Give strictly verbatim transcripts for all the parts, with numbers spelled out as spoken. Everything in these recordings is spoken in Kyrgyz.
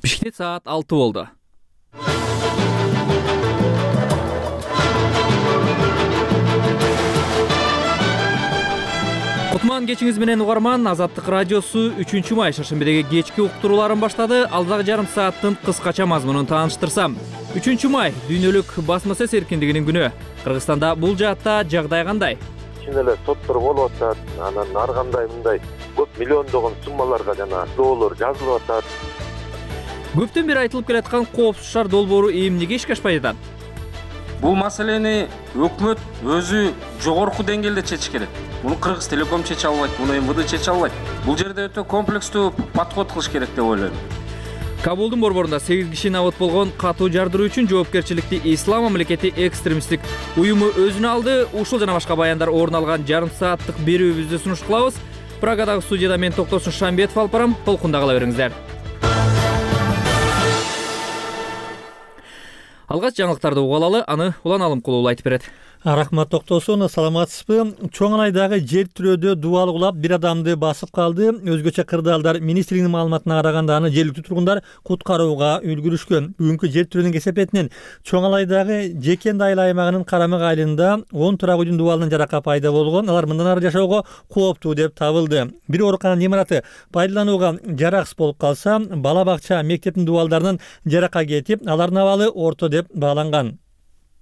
Бишкекте саат алты болду. Кутман кечиңиз менен угарман. Азаттык радиосу үчүнчү май шаршембидеги кечки уктурууларын баштады. Алдагы жарым сааттын кыскача мазмунун тааныштырсам. үчүнчү май дүйнөлүк басма сөз эркиндигинин күнү. Кыргызстанда бул жаатта жагдай кандай? Чын эле соттор болуп атат, анан ар кандай мындай көп миллиондогон суммаларга жана доолор жазылып атат. Көптөн бери айтылып келаткан коопсуз шаар долбоору эмнеге ишке ашпай жатат? Бул маселени өкмөт өзү жогорку деңгээлде чечиш керек. Муну Кыргыз Телеком чече албайт, муну эм вэ дэ чече албайт. Бул жерде өтө комплекстүү подход кылыш керек деп ойлойм. Кабулдун борборунда сегиз киши набыт болгон катуу жардыруу үчүн жоопкерчиликти Ислам мамлекети экстремисттик уюму өзүнө алды. Ушул жана башка баяндар орун алган жарым сааттык берүүбүздү сунуш кылабыз. Прагадагы студияда мен Токтосун Шамбетов алып барам. Толкунда кала бериңиздер. Алгач жаңылыктарды угалалы, аны Улан Алымкулуу айтып берет. Рахмат Токтосун, саламатсызбы? Чоңалайдагы жер тирөөдө дубал кулап бир адамды басып калды. Өзгөчө кырдаалдар министрлигинин маалыматына караганда аны жергиликтүү тургундар куткарууга үлгүрүшкөн. Бүгүнкү жер тирөөнүн кесепетинен Чоңалайдагы Жекен айыл аймагынын Карамык айылында он турак үйдүн дубалынан жарака пайда болгон. Алар мындан ары жашоого кооптуу деп табылды. Бир оорукананын имараты пайдаланууга жараксыз болуп калса, бала бакча, мектептин дубалдарынан жарака кетип, алардын абалы орто деп бааланган.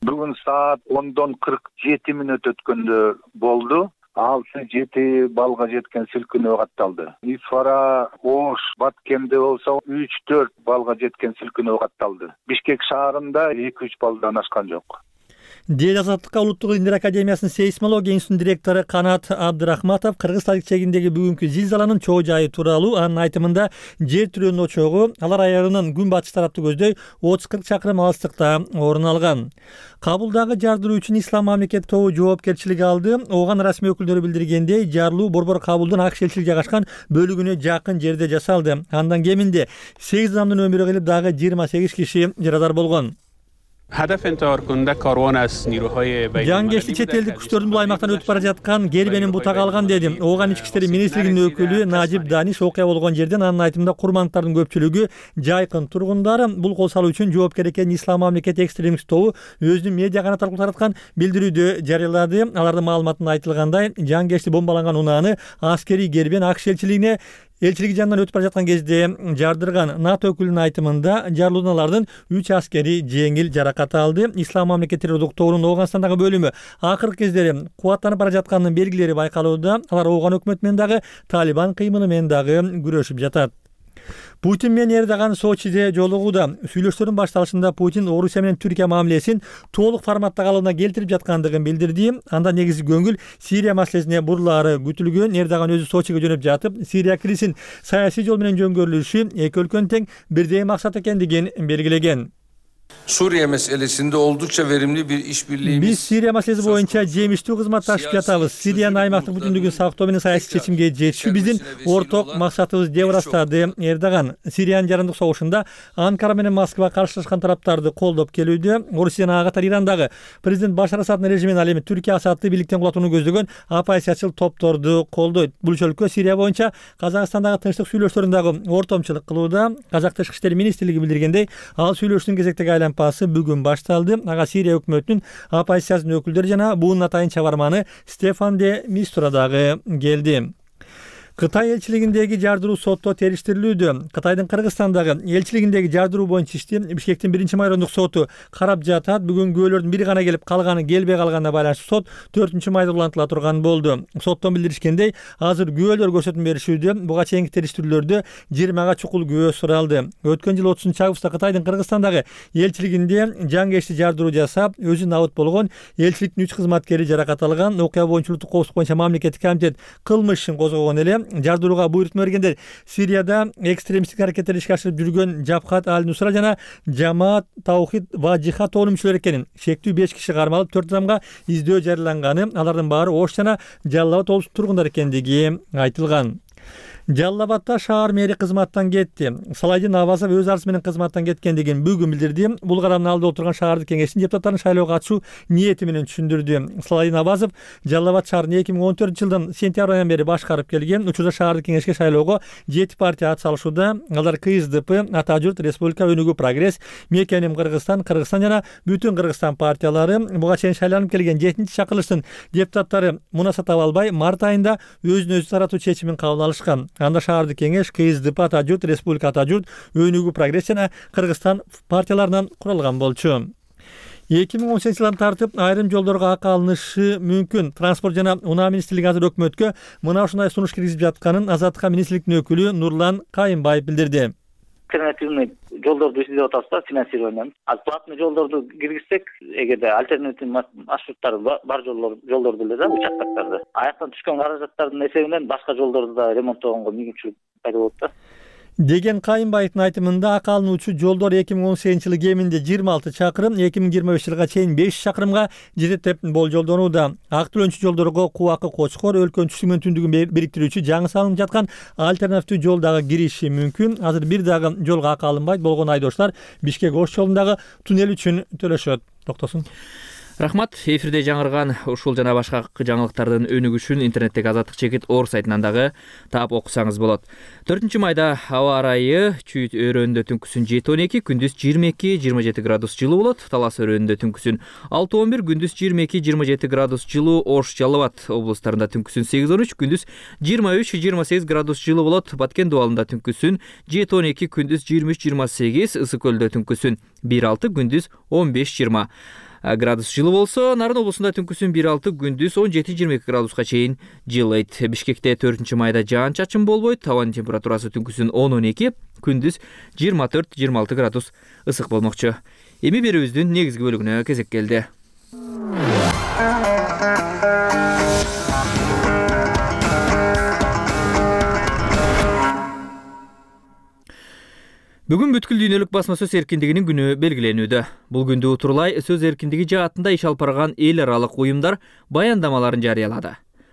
Бүгүн саат ондон кырк жети мүнөт өткөндө болду. алты жети балга жеткен силкинөө катталды. Исфара, Ош, Баткенде болсо үч төрт балга жеткен силкинөө катталды. Бишкек шаарында эки үч балдан ашкан жок. Дел Азаттыкка Улуттук илимдер академиясынын сейсмология институтунун директору Канат Абдырахматов Кыргыз тарихчегиндеги бүгүнкү зилзаланын чоо жайы тууралуу анын айтымында жер тирөөнүн очогу алар аярынын күн батыш тарапты көздөй отуз кырк чакырым алыстыкта орун алган. Кабулдагы жардыруу үчүн Ислам мамлекети тобу жоопкерчилик алды. Ооган расмий өкүлдөрү билдиргендей, жарылуу Борбор Кабулдун ак элчилиги жайгашкан бөлүгүнө жакын жерде жасалды. Андан кеминде сегиз адамдын өмүрү кылып, дагы жыйырма сегиз киши жарадар болгон. Жангештик чет элдик күчтөрдүн бул аймактан өтүп бара жаткан кербенин бутага алган деди. Ооган ички иштер министрлигинин өкүлү Нажип Даниш окуя болгон жерден анын айтымында курмандыктардын көпчүлүгү жайкын тургундар. Бул кол салуу үчүн жоопкер экенин Ислам мамлекети экстремист тобу өзүнүн медиа канаты аркылуу тараткан билдирүүдө жарыялады. Алардын маалыматында айтылгандай, жангешти бомбаланган унааны аскерий кербен ак элчилигине элчилиги жанынан өтүп бара жаткан кезде жардырган. НАТО өкүлүнүн айтымында жарылуудан алардын үч аскери жеңил жаракат алды. Ислам мамлекети террордук тобунун Ооганстандагы бөлүмү акыркы кездери кубаттанып бара жатканынын белгилери байкалууда. Алар Ооган өкмөтү менен дагы Талибан кыймылы менен дагы күрөшүп жатат. Путин менен Эрдоган Сочиде жолугууда. Сүйлөшүүлөрдүн башталышында Путин Орусия менен Түркия мамилесин толук форматта калыбына келтирип жаткандыгын билдирди. Анда негизги көңүл Сирия маселесине бурулаары күтүлгөн. Эрдоган өзү Сочиге жөнөп жатып, Сирия кризисин саясий жол менен жөнгөрүлүшү эки өлкөнүн тең бирдей максат экендигин белгилеген. Suriye meselesinde oldukça verimli bir işbirliğimiz. Биз Сирия маселеси боюнча жемиштүү кызматташып жатабыз. Сириянын аймактык бүтүндүгүн сактоо менен саясий чечимге жетишүү биздин орток максатыбыз деп ырастады Эрдоган. Сириянын жарандык согушунда Анкара менен Москва каршылашкан тараптарды колдоп келүүдө. Орусиянын ага катары Ирандагы президент Башар Асаддын режимин ал эми Түркия Асадды бийликтен кулатууну көздөгөн оппозициячыл топторду колдойт. Бул өлкө Сирия боюнча Казакстандагы тынчтык сүйлөшүүлөрүндө ортомчулук кылууда. Казак тышкы иштер министрлиги билдиргендей, ал сүйлөшүүнүн кезектеги аймпасы бүгүн башталды. Ага Сирия өкмөтүнүн оппозициянын өкүлдөрү жана буунун атайын чабарманы Стефан де Мистура дагы келди. Кытай элчилигиндеги жардыруу сотто териштирилүүдө. Кытайдын Кыргызстандагы элчилигиндеги жардыруу боюнча ишти Бишкектин биринчи майрондук соту карап жатат. Бүгүн күбөлөрдүн бири гана келип калганы келбей калганына байланыштуу сот төртүнчү майда улантыла турган болду. Соттон билдиришкендей, азыр күбөлөр көрсөтмө беришүүдө. Буга чейинки териштирүүлөрдө жыйырмага чукул күбө суралды. Өткөн жылы отузунчу августта Кытайдын Кыргызстандагы элчилигинде жангешти жардыруу жасап, өзү набыт болгон элчиликтин үч кызматкери жаракат алган. Окуя боюнча улуттук коопсуздук боюнча мамлекеттик комитет кылмыш ишин козгогон эле. Жардырууга буйрутма бергендер Сирияда экстремисттик аракеттерди ишке ашырып жүргөн Жабхат аль-Нусра жана Жамаат Таухид ва Жихад тобунун мүчөлөрү экенин, шектүү беш киши кармалып, төрт адамга издөө жарыяланганы, алардын баары Ош жана Жалал Абад облустун тургундары экендиги айтылган. Жалал Абадта шаар мэри кызматтан кетти. Салайдин Навазов өз арызы менен кызматтан кеткендигин бүгүн билдирди. Бул карамдын алдында отурган шаардык кеңештин депутаттарын шайлоого катышуу ниети менен түшүндүрдү. Салайдин Навазов Жалал Абад шаарын эки миң он төртүнчү жылдын сентябрь айынан бери башкарып келген. Учурда шаардык кеңешке шайлоого жети партия ат салышууда. Алар КСДП, Ата журт, Республика, Өнүгүү, Прогресс, Мекеним Кыргызстан, Кыргызстан жана Бүтүн Кыргызстан партиялары. Буга чейин шайланып келген жетинчи чакырылыштын депутаттары мунаса таба албай март айында өзүн өзү таратуу чечимин кабыл алышкан. Анда шаардык кеңеш КСДП, Ата журт, Республика, Ата журт, Өнүгүү, Прогресс жана Кыргызстан партияларынан куралган болчу. эки миң он сегизинчи жылдан тартып айрым жолдорго акы алынышы мүмкүн. Транспорт жана унаа министрлиги азыр өкмөткө мына ушундай сунуш киргизип жатканын Азаттыкка министрликтин өкүлү Нурлан Кайымбаев билдирди. Альтернативный жолдорду издеп атабыз да, финансированием. А платный жолдорду киргизсек, эгерде альтернативный маршруттар бар жолдор жолдорду эле да, учактактарды. Аяктан түшкөн каражаттардын эсебинен башка жолдорду да ремонттогонго мүмкүнчүлүк пайда болот да. Деген Кайымбаевдин айтымында акы алынуучу жолдор эки миң он сегизинчи жылы кеминде жыйырма алты чакырым, эки миң жыйырма беш жылга чейин беш чакырымга жетет деп болжолдонууда. Ак төлөнчү жолдорго Кубакы Кочкор өлкөнүн түштүгү менен түндүгүн бириктирүүчү жаңы салынып жаткан альтернативдүү жол дагы кириши мүмкүн. Азыр бир дагы жолго акы алынбайт болгон айдоочулар Бишкек Ош жолундагы туннель үчүн төлөшөт. Токтосун. Рахмат. Эфирде жаңырган ушул жана башка жаңылыктардын өнүгүшүн интернеттеги Азаттык чекит орг сайтынан дагы таап окусаңыз болот. төртүнчү майда аба ырайы Чүйүт өрөөнүндө түнкүсүн жети он эки, күндүз жыйырма эки жыйырма жети градус жылуу болот. Талас өрөөнүндө түнкүсүн алты он бир, күндүз жыйырма эки жыйырма жети градус жылуу. Ош, Жалал Абад облустарында түнкүсүн сегиз он үч, күндүз жыйырма үч жыйырма сегиз градус жылуу болот. Баткен дубалында түнкүсүн жети он эки, күндүз жыйырма үч жыйырма сегиз, Ысык көлдө түнкүсүн бир алты, күндүз он беш жыйырма градус жылуу болсо, Нарын облусунда түнкүсүн бир алты, күндүз он жети жыйырма эки градуска чейин жылыйт. Бишкекте төртүнчү майда жаан чачын болбойт. Абанын температурасы түнкүсүн он он эки, күндүз жыйырма төрт жыйырма алты градус ысык болмокчу. Эми берүүбүздүн негизги бөлүгүнө кезек келди. Бүгүн бүткүл дүйнөлүк басма сөз эркиндигинин күнү белгиленүүдө. Бул күндү утурлай сөз эркиндиги жаатында иш алып барган эл аралык уюмдар баяндамаларын жарыялады.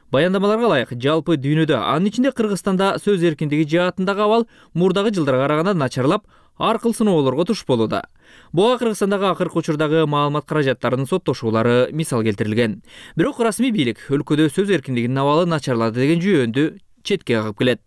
Баяндамаларга ылайык жалпы дүйнөдө, анын ичинде Кыргызстанда сөз эркиндиги жаатындагы абал мурдагы жылдарга караганда начарлап, ар кыл сыноолорго туш болууда. Буга Кыргызстандагы акыркы учурдагы маалымат каражаттарынын соттошуулары мисал келтирилген. Бирок расмий бийлик өлкөдө сөз эркиндигинин абалы начарлады деген жүйөндү четке кагып келет.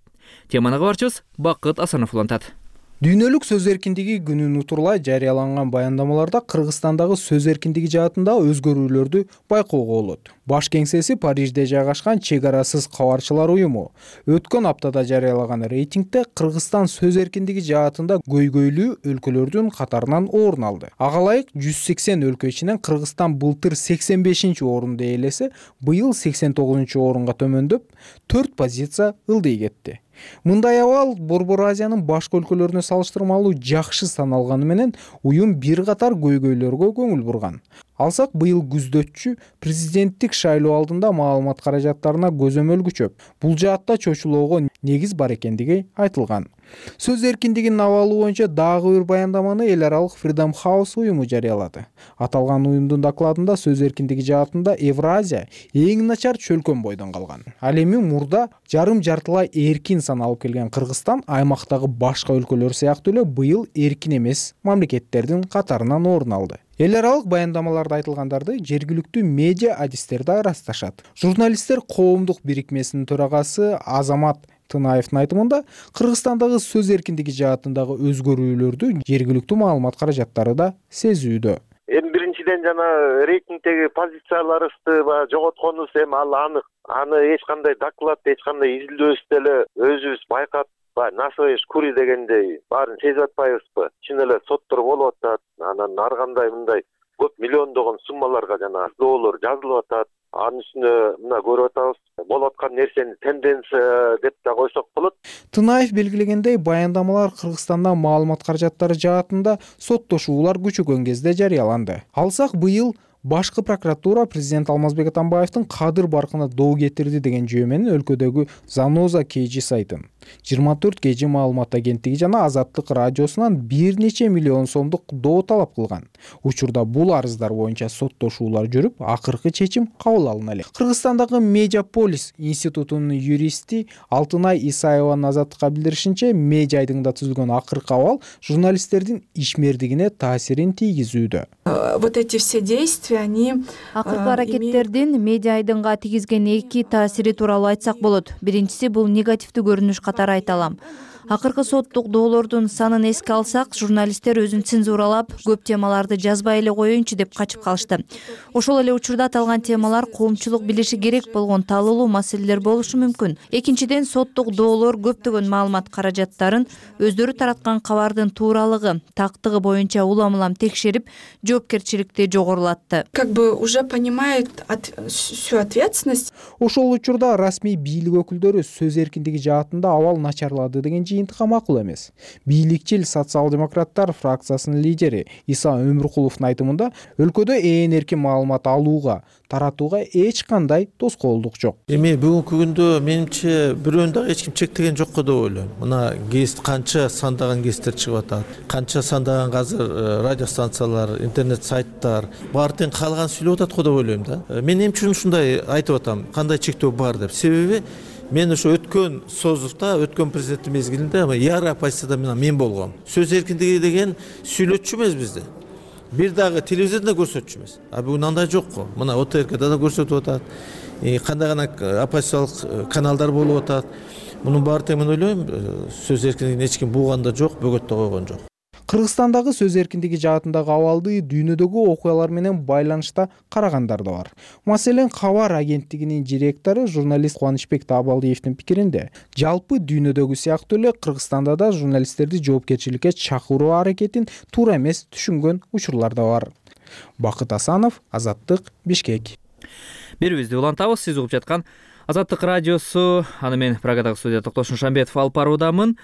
Теманы кабарчыбыз Бакыт Асанов улантат. Дүйнөлүк сөз эркиндиги күнүн утурлай жарыяланган баяндамаларда Кыргызстандагы сөз эркиндиги жаатында өзгөрүүлөрдү байкоого болот. Баш кеңсеси Парижде жайгашкан Чек арасыз кабарчылар уюму өткөн аптада жарыялаган рейтингде Кыргызстан сөз эркиндиги жаатында көйгөйлүү өлкөлөрдүн катарынан орун алды. Ага ылайык жүз сексен өлкө ичинен Кыргызстан былтыр сексен бешинчи орунду ээлесе, быйыл сексен тогузунчу орунга төмөндөп, төрт позиция ылдый кетти. Мындай абал Борбор Азиянын башка өлкөлөрүнө салыштырмалуу жакшы саналганы менен уюм бир катар көйгөйлөргө көңүл бурган. Алсак, быйыл күздөчү президенттик шайлоо алдында маалымат каражаттарына көзөмөл күчөп, бул жаатта чочулоого негиз бар экендиги айтылган. Сөз эркиндигинин абалы боюнча дагы бир баяндаманы эл аралык Freedom House уюму жарыялады. Аталган уюмдун докладында сөз эркиндиги жаатында Евразия эң начар чөлкөн бойдон калган. Ал эми мурда жарым жартылай эркин саналып келген Кыргызстан аймактагы башка өлкөлөр сыяктуу эле быйыл эркин эмес мамлекеттердин катарынан орун алды. Эл аралык баяндамаларда айтылгандарды жергиликтүү медиа адистер да ырасташат. Журналисттер коомдук бирикмесинин төрагасы Азамат Тынаевдин айтымында Кыргызстандагы сөз эркиндиги жаатындагы өзгөрүүлөрдү жергиликтүү маалымат каражаттары да сезүүдө. Эми биринчиден жана рейтингдеги позицияларыбызды жоготконубуз эми ал анык. Аны эч кандай доклад, эч кандай изилдөөбүз деле өзүбүз байкап, насоеш кури дегендей баарын сезип атпайбызбы? Чын эле соттор болуп атат, анан ар кандай мындай көп миллиондогон суммаларга жана доолор жазылып атат. Анын үстүнө мына көрүп атабыз, болуп аткан нерсени тенденция деп да койсок болот. Тынаев белгилегендей, баяндамалар Кыргызстанда маалымат каражаттары жаатында соттошуулар күчөгөн кезде жарыяланды. Алсак, быйыл Башкы прокуратура президент Алмазбек Атамбаевдин кадыр баркына доо кетирди деген жөө менен өлкөдөгү Заноза кей жи сайтын, жыйырма төрт кей жи маалымат агенттиги жана Азаттык радиосунан бир нече миллион сомдук доо талап кылган. Учурда бул арыздар боюнча соттошуулар жүрүп, акыркы чечим кабыл алына элек. Кыргызстандагы Медиаполис институтунун юристи Алтынай Исаеванын Азаттыкка билдиришинче, Медиа айдыңда түзүлгөн акыркы абал журналисттердин ишмердигине таасирин тийгизүүдө. Вот эти все действия, они акыркы аракеттердин Медиа айдыңга тийгизген эки таасири тууралуу айтсак болот. Биринчиси бул негативдүү көрүнүш катары айта алам. Акыркы соттук доолордун санын эске алсак, журналисттер өзүн цензуралап, көп темаларды жазбай эле коеюнчу деп качып калышты. Ошол эле учурда аталган темалар коомчулук билиши керек болгон талуулуу маселелер болушу мүмкүн. Экинчиден, соттук доолор көптөгөн маалымат каражаттарын өздөрү тараткан кабардын тууралыгы, тактыгы боюнча улам-улам текшерип, жоопкерчиликти жогорулатты. Как бы уже понимают от... всю ответственность. Ошол учурда расмий бийлик өкүлдөрү сөз эркиндиги жаатында абал начарлады деген жыйынтыкка макул эмес. Бийликчил социал-демократтар фракциясынын лидери Иса Өмүркуловдун айтымында, өлкөдө ээн эркин маалымат алууга, таратууга эч кандай тоскоолдук жок. Эми бүгүнкү күндө менимче бирөөнү дагы эч ким чектеген жок деп ойлойм. Мына гест канча сандаган гесттер чыгып атат, канча сандаган азыр радио станциялар, интернет сайттар баары тең каалаган сүйлөп атат го деп ойлойм да. Мен эмне үчүн ушундай айтып атам, кандай чектөө бар деп. Себеби мен ошо өткөн созувда, өткөн президенттик мезгилинде яра оппозицияда мен болгом. Сөз эркиндиги деген сүйлөтчү эмес бизде. Бир дагы телевизордо көрсөтчү эмес. А бүгүн андай жок го. Мына О Т Р К'да да көрсөтүп атат. Кандай гана оппозициялык каналдар болуп атат. Мунун баары тең мен ойлойм, сөз эркиндигин эч ким бууган да жок, бөгөттө койгон жок. Кыргызстандагы сөз эркиндиги жаатындагы абалды дүйнөдөгү окуялар менен байланышта карагандар да бар. Маселен, Кабар агенттигинин директору журналист Кубанычбек Таабалдиевдин пикиринде, жалпы дүйнөдөгү сыяктуу эле Кыргызстанда да журналисттерди жоопкерчиликке чакыруу аракетин туура эмес түшүнгөн учурлар да бар. Бакыт Асанов, Азаттык, Бишкек. Берүүбүздү улантабыз. Сиз угуп жаткан Азаттык радиосу. Аны мен Прагадагы студия Токтош Шамбетов алып баруудамын.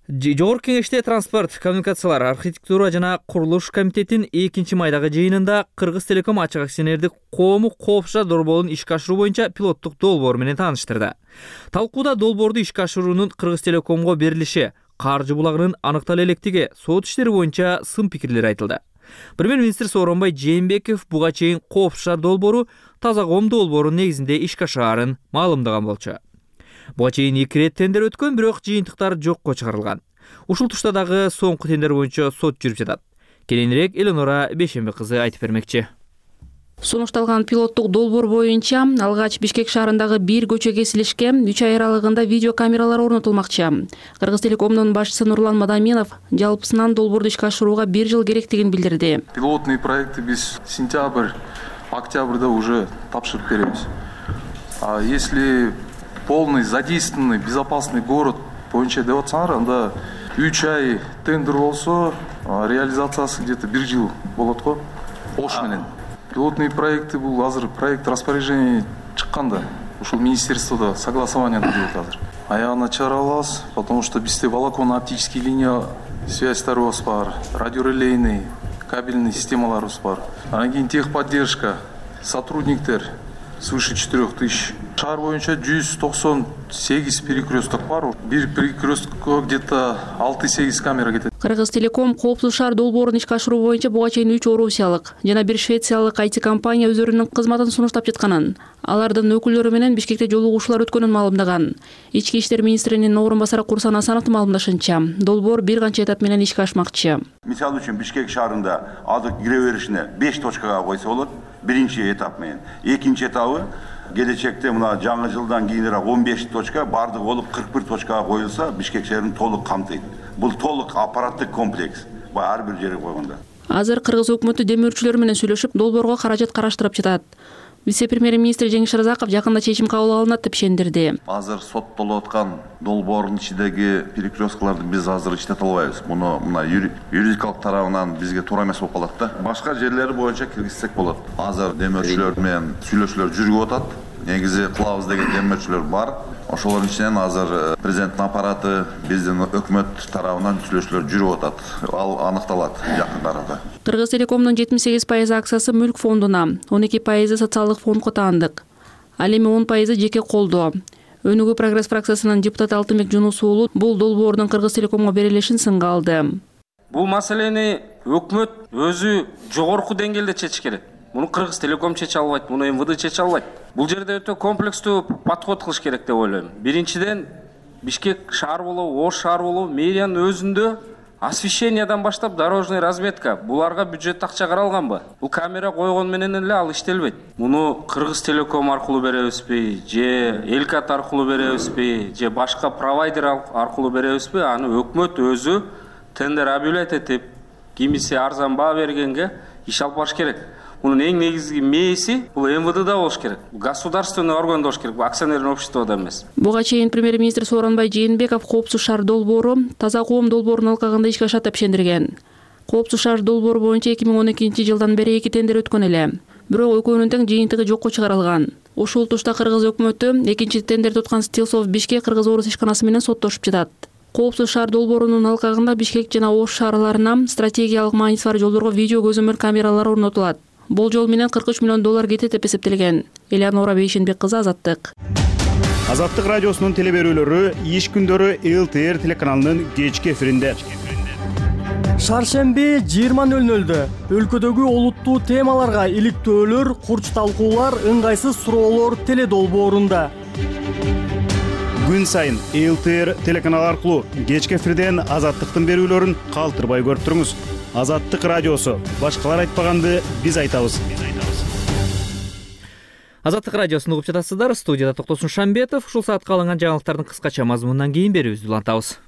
Жогорку кеңеште транспорт, коммуникациялар, архитектура жана курулуш комитетинин экинчи майдагы жыйынында Кыргыз Телеком ачык акционердик коому коопсуз долбоорун ишке ашыруу боюнча пилоттук долбоор менен тааныштырды. Талкууда долбоорду ишке ашыруунун Кыргыз Телекомго берилиши, каржы булагынын аныктала электиги, сот иштери боюнча сын пикирлер айтылды. Премьер-министр Сооронбай Жээнбеков буга чейин коопсуз долбоору таза ком долбоорунун негизинде ишке ашаарын маалымдаган болчу. Буга чейин эки ирет тендер өткөн, бирок жыйынтыктар жокко чыгарылган. Ушул тушта дагы соңку тендер боюнча сот жүрүп жатат. Кийинирээк Эленора Бейшембек кызы айтып бермекчи. Сунушталган пилоттук долбоор боюнча алгач Бишкек шаарындагы бир көчө кесилишке үч ай аралыгында видеокамералар орнотулмакчы. Кыргыз Телекомдун башчысы Нурлан Мадаминов жалпысынан долбоорду ишке ашырууга бир жыл керектигин билдирди. Пилотный проекты биз сентябрь, октябрда уже тапшырып беребиз. А если полный задействованный безопасный город боюнча деп атсаңар, анда үч ай тендер болсо, реализациясы где-то бир жыл болот го. Ош менен. Пилотные проекты бул азыр проект распоряжение чыкканда, ушул министерствода согласование жүрүп атат. Аягына чыгара алабыз, потому что бизде волоконно-оптический линия связьтарыбыз бар, радиорелейный, кабельный системаларыбыз бар. Анан кийин техподдержка, сотрудниктер свыше четырёх тысяч. Шаар боюнча жүз токсон сегиз перекресток бар. Бир перекресткко где-то алты-сегиз камера кетет. Кыргыз Телеком коопсуз шаар долбоорун ишке ашыруу боюнча буга чейин үч орусиялык жана бир швециялык ай ти компания өздөрүнүн кызматын сунуштап жатканын, алардын өкүлдөрү менен Бишкекте жолугушуулар өткөнүн маалымдаган. Ички иштер министринин орун басары Курсан Асановдун маалымдашынча, долбоор бир канча этап менен ишке ашмакчы. Мисалы үчүн Бишкек шаарында азыр кире беришине беш точкага койсо болот. Биринчи этап менен. Экинчи этабы келечекте мына жаңы жылдан кийинирээк он беш точка бардыгы болуп кырк бир точкага коюлса, Бишкек шаарын толук камтыйт. Бул толук аппараттык комплекс. Ар бир жерге койгондо. Азыр Кыргыз өкмөтү демөөрчүлөр менен сүйлөшүп, долбоорго каражат караштырып жатат. Вице-премьер-министр Жеңиш Разаков жакында чечим кабыл алынат деп ишендирди. Азыр соттолуп аткан долбоордун ичиндеги перекресткаларды биз азыр иштете албайбыз. Муну мына юридикалык тарабынан бизге туура эмес болуп калат да. Башка жерлери боюнча киргизсек болот. Азыр демөөрчүлөр менен сүйлөшүүлөр жүрүп атат. негизи кылабыз деген демөөрчүлөр бар. Ошолордун ичинен азыр президенттин аппараты, биздин өкмөт тарабынан сүйлөшүүлөр жүрүп атат. Ал аныкталат жакын арада. Кыргыз Телекомдун жетимиш сегиз пайыз акциясы мүлк фондуна, он эки пайызы социалдык фондко таандык. Ал эми он пайызы жеке колдо. Өнүгүү прогресс фракциясынын депутаты Алтынбек Жунус уулу бул долбоордун Кыргыз Телекомго берилишин сынга алды. Бул маселени өкмөт өзү жогорку деңгээлде чечиш керек. Муну Кыргыз Телеком чече албайт, муну эм вэ дэ чече албайт. Бул жерде өтө комплекстүү подход кылыш керек деп ойлойм. Биринчиден, Бишкек шаар болобу, Ош шаар болобу, мэриянын өзүндө освещениядан баштап дорожный разметка буларга бюджет акча каралганбы? Бул камера койгон менен эле ал иштелбейт. Муну Кыргыз Телеком аркылуу беребизби, же Элкат аркылуу беребизби, же башка провайдер аркылуу беребизби? Аны өкмөт өзү тендер объявлять этип, кимиси арзан баа бергенге иш алып барыш керек. Мунун эң негизги мээси бул эм вэ дэда болуш керек. Государственный орган болуш керек, бул акционерный обществода эмес. Буга чейин премьер-министр Сооронбай Жээнбеков коопсуз шаар долбоору таза коом долбоорунун алкагында ишке ашат деп ишендирген. Коопсуз шаар долбоору боюнча эки миң он экинчи жылдан бери эки тендер өткөн эле. Бирок экөөнүн тең жыйынтыгы жокко чыгарылган. Ушул тушта Кыргыз өкмөтү экинчи тендерди уткан Стилсов Бишкек Кыргыз Орус ишканасы менен соттошуп жатат. Коопсуз шаар долбоорунун алкагында Бишкек жана Ош шаарларына стратегиялык мааниси бар жолдорго видео көзөмөл камералары орнотулат. Болжол менен кырк үч миллион доллар кетет деп эсептелген. Элеонора Бейшенбек кызы, Азаттык. Азаттык радиосунун телеберүүлөрү иш күндөрү эл тэ эр телеканалынын кечки эфиринде. Шаршемби жыйырма нөл нөлдө өлкөдөгү олуттуу темаларга иликтөөлөр, курч талкуулар, ыңгайсыз суроолор теледолбоорунда. Күн сайын эл тэ эр телеканалы аркылуу кечки эфирден Азаттыктын берүүлөрүн калтырбай көрүп туруңуз. Азаттык радиосу. Башкалар айтпаганды биз айтабыз. Азаттык радиосун угуп жатасыздар. Студияда Токтосун Шамбетов. Ушул саатка алынган жаңылыктардын кыскача мазмунунан кийин берүүбүздү улантабыз.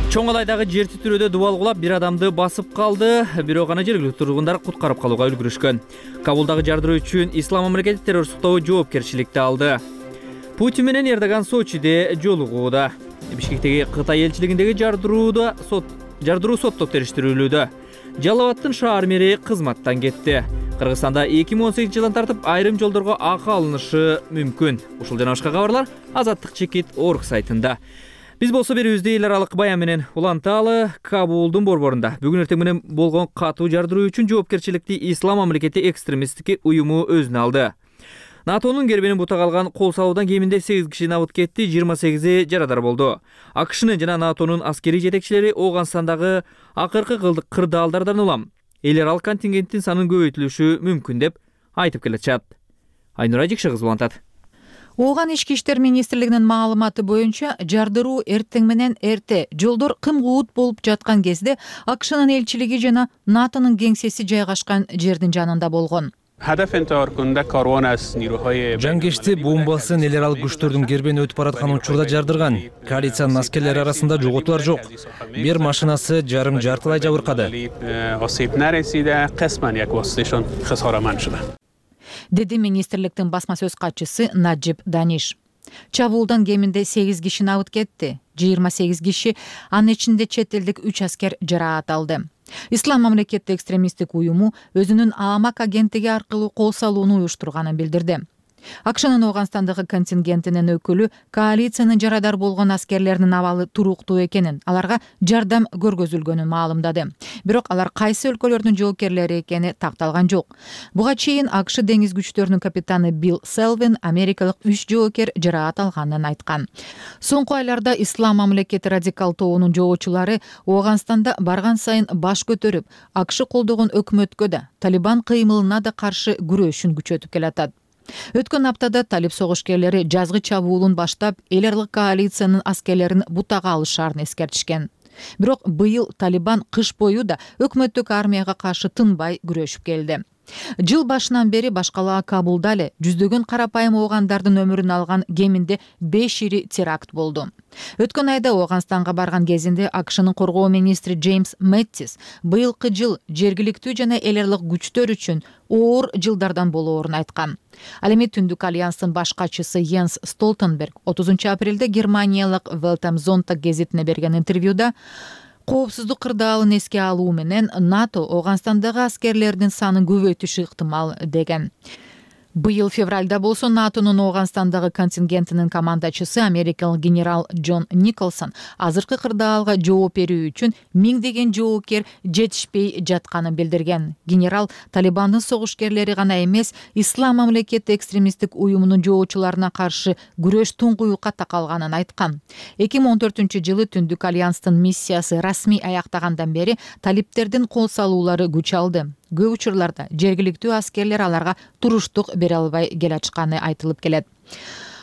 Чоң Алайдагы жер титирөөдө дубал кулап бир адамды басып калды, бирок аны жергиликтүү тургундар куткарып калууга үлгүрүшкөн. Кабулдагы жардыруу үчүн Ислам мамлекети террористтоо жоопкерчиликти алды. Путин менен Эрдоган Сочиде жолугууда. Бишкектеги Кытай элчилигиндеги жардырууда сот жардыруу сотто териштирүүлүүдө. Жалал-Абадтын шаар мэри кызматтан кетти. Кыргызстанда эки миң он сегизинчи жылдан тартып айрым жолдорго акы алынышы мүмкүн. Ушул жана башка кабарлар Азаттык чекит орг сайтында. Биз болсо берүүбүздү эл аралык баян менен уланталы. Кабулдун борборунда бүгүн эртең менен болгон катуу жардыруу үчүн жоопкерчиликти Ислам мамлекети экстремисттик уюму өзүнө алды. НАТОнун гербинин бута калган кол салуудан кеминде сегиз киши набыт кетти, жыйырма сегизи жарадар болду. АКШнын жана НАТОнун аскерий жетекчилери Ооганстандагы акыркы кырдаалдардан улам эл аралык контингенттин санын көбөйтүлүшү мүмкүн деп айтып келатышат. Айнура Жикши кызы улантат. Ооган ички иштер министрлигинин маалыматы боюнча жардыруу эртең менен эрте жолдор кым-куут болуп жаткан кезде АКШнын элчилиги жана НАТОнун кеңсеси жайгашкан жердин жанында болгон. Жангешти бомбасын эл аралык күчтөрдүн гербени өтүп бараткан учурда жардырган. Коалициянын аскерлери арасында жоготуулар жок. Бир машинасы жарым жартылай жабыркады. Деди министрликтин басма сөз катчысы Наджиб Даниш. Чабуулдан кеминде сегиз киши набыт кетти. жыйырма сегиз киши, анын ичинде чет элдик үч аскер жараат алды. Ислам мамлекети экстремисттик уюму өзүнүн ААМАК агенттиги аркылуу кол салууну уюштурганын билдирди. АКШнын Ооганстандагы контингентинин өкүлү коалициянын жарадар болгон аскерлеринин абалы туруктуу экенин, аларга жардам көргөзүлгөнүн маалымдады. Бирок алар кайсы өлкөлөрдүн жоокерлери экени такталган жок. Буга чейин АКШ деңиз күчтөрүнүн капитаны Билл Селвин америкалык үч жоокер жараат алганын айткан. Соңку айларда Ислам мамлекети радикал тобунун жоочулары Ооганстанда барган сайын баш көтөрүп, АКШ колдогон өкмөткө да, Талибан кыймылына да каршы күрөшүн күчөтүп келатат. Өткөн аптада талип согушкерлери жазгы чабуулун баштап, эл аралык коалициянын аскерлерин бутага алышаарын эскертишкен. Бирок быйыл Талибан кыш бою да өкмөттүк армияга каршы тынбай күрөшүп келди. Жыл башынан бери башкала Кабулда эле жүздөгөн карапайым оогандардын өмүрүн алган кеминде беш ири теракт болду. Өткөн айда Ооганстанга барган кезинде АКШнын коргоо министри Джеймс Мэттис быйылкы жыл жергиликтүү жана эл аралык күчтөр үчүн оор жылдардан болоорун айткан. Ал эми Түндүк альянстын баш катчысы Йенс Столтенберг отузунчу апрелде германиялык Welt am Sonntag гезитине берген интервьюда коопсуздук кырдаалын эске алуу менен НАТО Ооганстандагы аскерлердин санын көбөйтүшү ыктымал деген. Быйыл февралда болсо НАТОнун Ооганстандагы контингентинин командачысы америкалык генерал Джон Николсон азыркы кырдаалга жооп берүү үчүн миңдеген жоокер жетишпей жатканын билдирген. Генерал Талибандын согушкерлери гана эмес, Ислам мамлекети экстремисттик уюмунун жоочуларына каршы күрөш туңгуюкка такалганын айткан. эки миң он төртүнчү жылы Түндүк альянстын миссиясы расмий аяктагандан бери талиптердин кол салуулары күч алды. Көп учурларда жергиликтүү аскерлер аларга туруштук бере албай келатышканы айтылып келет.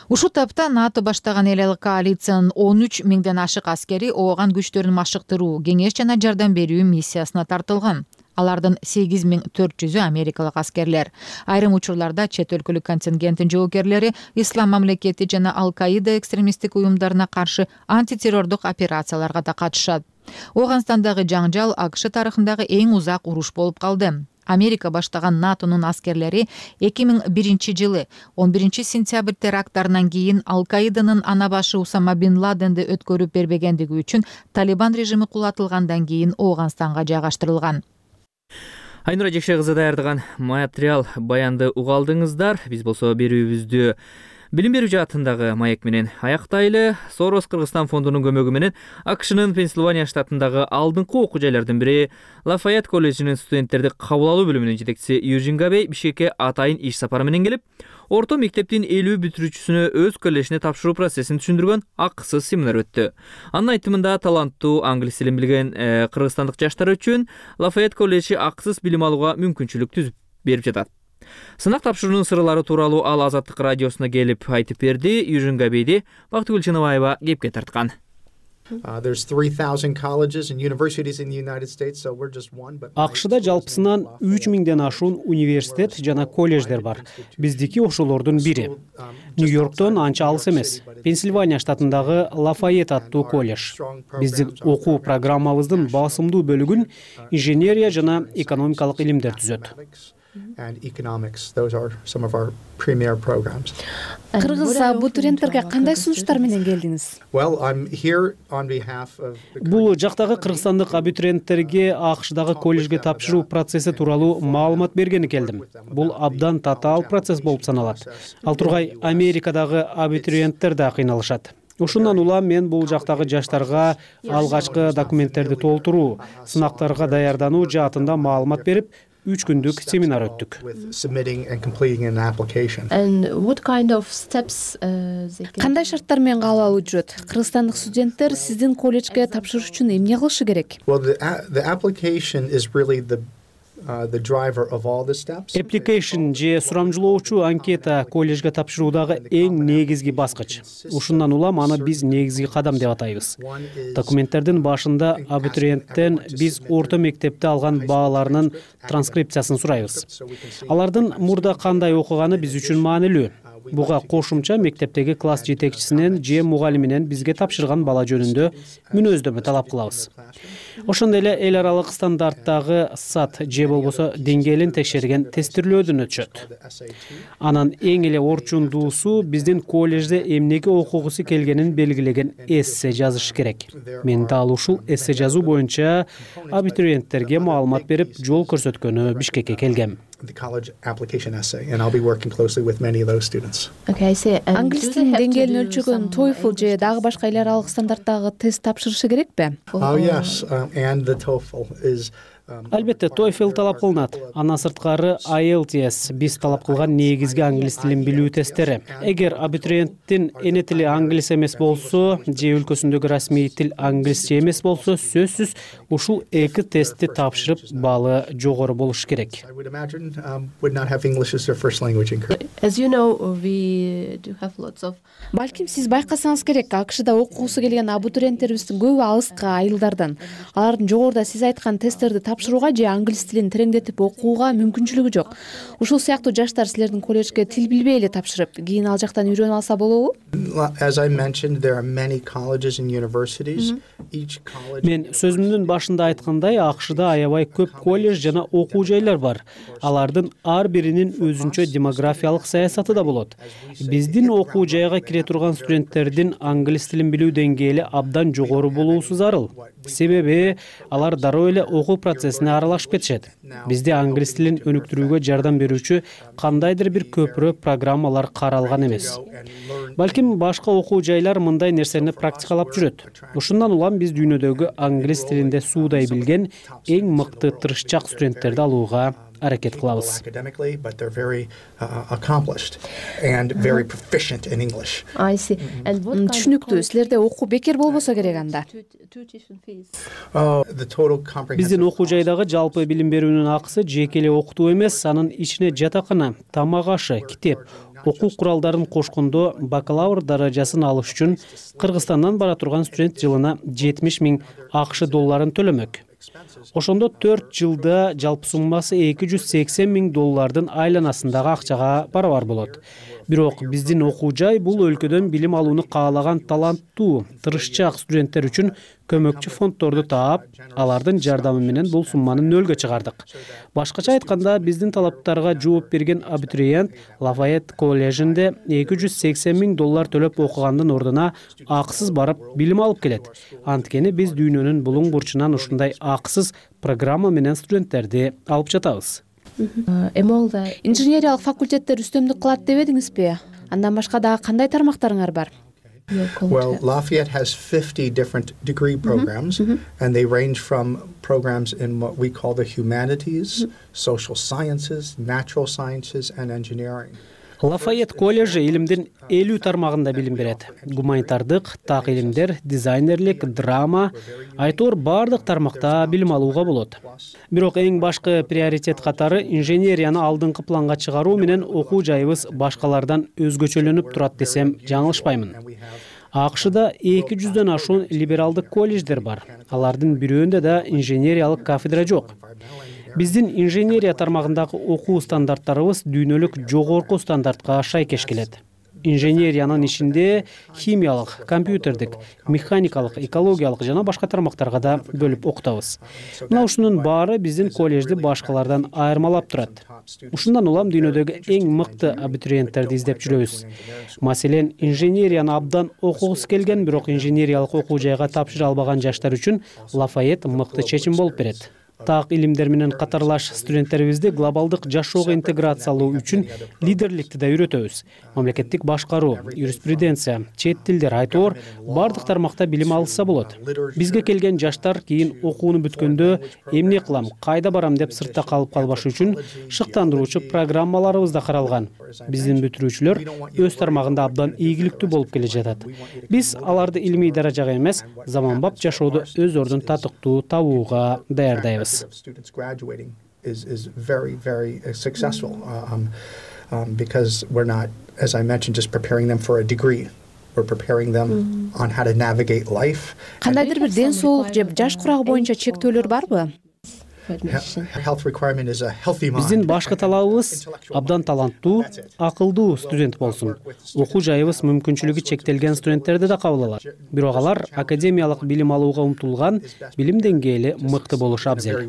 Ушул тапта НАТО баштаган эл эл коалициянын он үч миңден ашык аскери Ооган күчтөрүн машыктыруу, кеңеш жана жардам берүү миссиясына тартылган. Алардын сегиз миң төрт жүзү америкалык аскерлер. Айрым учурларда чет өлкөлүк контингенттин жоокерлери Ислам мамлекети жана Ал-Каида экстремисттик уюмдарына каршы антитеррордук операцияларга да катышат. Ооганстандагы жаңжал АКШ тарыхындагы эң узак уруш болуп калды. Америка баштаган НАТОнун аскерлери эки миң биринчи жылы он биринчи сентябрь теракттарынан кийин Ал-Каиданын ана башы Усама бин Ладенди өткөрүп бербегендиги үчүн Талибан режими кулатылгандан кийин Ооганстанга жайгаштырылган. Айнура Жекше кызы даярдаган материал баянды угалдыңыздар. Биз болсо берүүбүздү билим берүү жаатындагы маек менен аяктайлы. Сорос Кыргызстан фондунун көмөгү менен АКШнын Пенсильвания штатындагы алдыңкы окуу жайлардын бири Лафайет колледжинин студенттерди кабыл алуу бөлүмүнүн жетекчиси Южин Габей Бишкекке атайын иш сапары менен келип, орто мектептин элүү бүтүрүүчүсүнө өз колледжине тапшыруу процессин түшүндүргөн акысыз семинар өттү. Анын айтымында таланттуу англис тилин билген э, кыргызстандык жаштар үчүн Лафайет колледжи акысыз билим алууга мүмкүнчүлүк түзүп берип жатат. Сынак тапшыруунун сырлары тууралуу ал Азаттык радиосуна келип айтып берди. Южин Габейди Бактыгүл Чыныбаева кепке тарткан. АКШда жалпысынан үч миңден ашуун университет жана колледждер бар. Биздики ошолордун бири. Нью-Йорктон анча алыс эмес. Пенсильвания штатындагы Лафайет аттуу колледж. Биздин окуу программабыздын басымдуу бөлүгүн инженерия жана экономикалык илимдер түзөт. Кыргыз абитуриенттерге кандай сунуштар менен келдиңиз? Бул жактагы кыргызстандык абитуриенттерге АКШдагы колледжге тапшыруу процесси тууралуу маалымат бергени келдим. Бул абдан татаал процесс болуп саналат. Ал тургай Америкадагы абитуриенттер да кыйналышат. Ушундан улам мен бул жактагы жаштарга алгачкы документтерди толтуруу, сынактарга даярдануу жаатында маалымат берип, үч күндүк семинар өттүк. Кандай шарттар менен кабыл алуу жүрөт? Кыргызстандык студенттер сиздин колледжге тапшырыш үчүн эмне кылышы керек? Application же сурамжылоочу анкета колледжге тапшыруудагы эң негизги баскыч. Ушундан улам аны биз негизги кадам деп атайбыз. Документтердин башында абитуриенттен биз орто мектепте алган бааларынын транскрипциясын сурайбыз. Алардын мурда кандай окуганы биз үчүн маанилүү. Буга кошумча мектептеги класс жетекчисинен же мугалиминен бизге тапшырган бала жөнүндө мүнөздөмө талап кылабыз. Ошондой эле эл аралык стандарттагы сат же болбосо деңгээлин текшерген тестирлөөдөн өтүшөт. Анан эң эле орчундуусу биздин колледжде эмнеге окугусу келгенин белгилеген эссе жазыш керек. Мен дал ушул эссе жазуу боюнча абитуриенттерге маалымат берип, жол көрсөткөнү Бишкекке келгем. Англис тилинин деңгээлин өлчөгөн TOEFL же дагы башка эл аралык стандарттагы тест тапшырышы керекпи? Албетте, TOEFL талап кылынат. Андан сырткары ай эл ти эс биз талап кылган негизги англис тилин билүү тесттери. Эгер абитуриенттин эне тили англис эмес болсо, же өлкөсүндөгү расмий тил англисче эмес болсо, сөзсүз ушул эки тестти тапшырып, баалы жогору болуш керек. Балким сиз байкасаңыз керек, АКШда окугусу келген абитуриенттерибиздин көбү алыскы айылдардан. Алардын жогоруда сиз айткан тесттерди тапшырууга же англис тилин тереңдетип окууга мүмкүнчүлүгү жок. Ушул сыяктуу жаштар силердин колледжге тил билбей эле тапшырып, кийин ал жактан үйрөнүп алса болобу? Мен сөзүмдүн башында айткандай, АКШда аябай көп колледж жана окуу жайлар бар. Алардын ар биринин өзүнчө демографиялык саясаты да болот. Биздин окуу жайга кире турган студенттердин англис тилин билүү деңгээли абдан жогору болуусу зарыл. Себеби алар дароо эле окуу процессине аралашып кетишет. Бизде англис тилин өнүктүрүүгө жардам берүүчү кандайдыр бир көпүрө программалар каралган эмес. Балким башка окуу жайлар мындай нерсени практикалап жүрөт. Ушундан улам биз дүйнөдөгү англис тилинде суудай билген эң мыкты тырышчак студенттерди алууга аракет кылабыз. Түшүнүктүү. Силерде окуу бекер болбосо керек анда. Биздин окуу жайдагы жалпы билим берүүнүн акысы жеке эле окутуу эмес, анын ичине жатакана, тамак ашы, китеп, окуу куралдарын кошкондо бакалавр даражасын алыш үчүн Кыргызстандан бара турган студент жылына жетимиш миң АКШ долларын төлөмөк. Ошондо төрт жылда жалпы суммасы эки жүз сексен миң доллардын айланасындагы акчага барабар болот. Бирок биздин окуу жай бул өлкөдөн билим алууну каалаган таланттуу, тырышчак студенттер үчүн көмөкчү фонддорду таап, алардын жардамы менен бул сумманы нөлгө чыгардык. Башкача айтканда, биздин талаптарга жооп берген абитуриент Лафайет коллежинде эки жүз сексен миң доллар төлөп окугандын ордуна акысыз барып билим алып келет. Анткени биз дүйнөнүн булуң бурчунан ушундай акысыз программа менен студенттерди алып жатабыз. Инженериялык факультеттер үстөмдүк кылат дебедиңизби? Андан башка дагы кандай тармактарыңар бар? Well, Lafayette has fifty different degree programs, mm-hmm. and they range from programs in what we call the humanities, mm-hmm. social sciences, natural sciences, and engineering. Лафайет коллежи илимдин элүү тармагында билим берет. Гуманитардык, так илимдер, дизайнерлик, драма, айтор бардык тармакта билим алууга болот. Бирок эң башкы приоритет катары инженерияны алдыңкы планга чыгаруу менен окуу жайыбыз башкалардан өзгөчөлөнүп турат десем жаңылышпаймын. АКШда эки жүздөн ашуун либералдык колледждер бар. Алардын бирөөндө да инженериялык кафедра жок. Биздин инженерия тармагындагы окуу стандарттарыбыз дүйнөлүк жогорку стандартка шайкеш келет. Инженериянын ичинде химиялык, компьютердик, механикалык, экологиялык жана башка тармактарга да бөлүп окутабыз. Мына ушунун баары биздин коллежди башкалардан айырмалап турат. Ушундан улам дүйнөдөгү эң мыкты абитуриенттерди издеп жүрөбүз. Маселен, инженерияны абдан окугусу келген, бирок инженериялык окуу жайга тапшыра албаган жаштар үчүн Лафайет мыкты чечим болуп берет. Так илимдер менен катарлаш студенттерибизди глобалдык жашоого интеграциялоо үчүн лидерликти да үйрөтөбүз. Мамлекеттик башкаруу, юриспруденция, чет тилдер, айтор бардык тармакта билим алса болот. Бизге келген жаштар кийин окууну бүткөндө эмне кылам, кайда барам деп сыртта калып калбаш үчүн шыктандыруучу программаларыбыз да каралган. Биздин бүтүрүүчүлөр өз тармагында абдан ийгиликтүү болуп келе жатат. Биз аларды илимий даражага эмес, заманбап жашоодо өз ордун татыктуу табууга даярдайбыз. Students graduating is is very very successful um, um, because we're not, as I mentioned, just preparing them for a degree. We're preparing them mm-hmm. on how to navigate life. Кандайдыр бир ден соолук же жаш курагы боюнча чектөөлөр барбы? Health requirement is a healthy mind. Биздин башкы талабыбыз абдан таланттуу, акылдуу студент болсун. Окуу жайыбыз мүмкүнчүлүгү чектелген студенттерди да кабыл алат. Бирок алар академиялык билим алууга умтулган, билим деңгээли мыкты болушу абзел.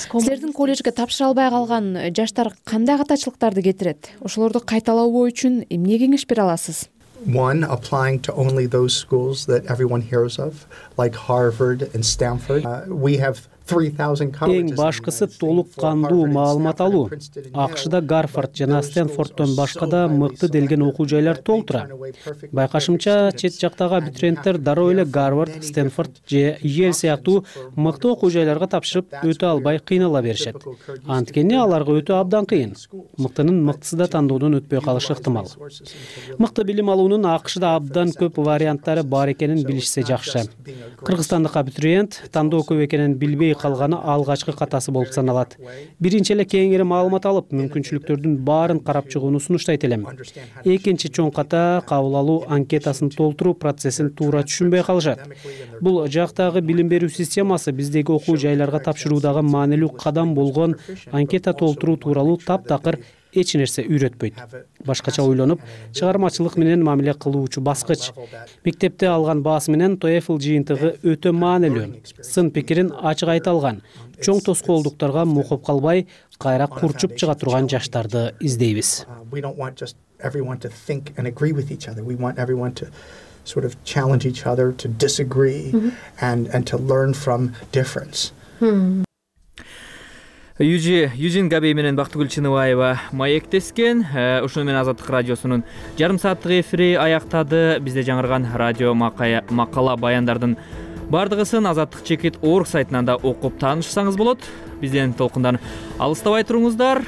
Силердин колледжге тапшыра албай калган жаштар кандай катачылыктарды кетирет? Ошолорду кайталабоо үчүн эмне кеңеш бере аласыз? One, applying to only those schools that everyone hears of, like Harvard and Stanford. Uh, we have Эң башкысы толук кандуу маалымат алуу. АКШда Гарвард жана Стэнфорддон башка да мыкты делген окуу жайлар толтура. Байкашымча, чет жактагы абитуриенттер дароо эле Гарвард, Стэнфорд же Йель сыяктуу мыкты окуу жайларга тапшырып өтө албай кыйнала беришет. Анткени аларга өтө абдан кыйын. Мыктынын мыктысы да тандоодон өтпөй калышы ыктымал. Мыкты билим алуунун АКШда абдан көп варианттары бар экенин билишсе жакшы. Кыргызстандык абитуриент тандоо көп экенин билбей калганы алгачкы катасы болуп саналат. Биринчи эле кеңири маалымат алып, мүмкүнчүлүктөрдүн баарын карап чыгууну сунуштайт элем. Экинчи чоң ката кабыл алуу анкетасын толтуруу процессин туура түшүнбөй калышат. Бул жактагы билим берүү системасы биздеги окуу жайларга тапшыруудагы маанилүү кадам болгон анкета толтуруу тууралуу таптакыр эч нерсе үйрөтпөйт. Башкача ойлонуп, чыгармачылык менен мамиле кылуучу баскыч. Мектепте алган баасы менен TOEFL жыйынтыгы өтө маанилүү. Сын пикирин ачык айта алган, чоң тоскоолдуктарга мукуп калбай, кайра курчуп чыга турган жаштарды издейбиз. Sort of challenge each other to disagree mm-hmm. and and to learn from difference. Hmm. Южи Южин Габей менен Бактыгүл Чыныбаева маектескен. Ушуну менен Азаттык радиосунун жарым сааттык эфири аяктады. Бизде жаңырган радио макала баяндардын бардыгысын Азаттык чекит орг сайтынан да окуп таанышсаңыз болот. Бизден толкундан алыстабай туруңуздар.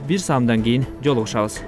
Бир саамдан кийин жолугушабыз.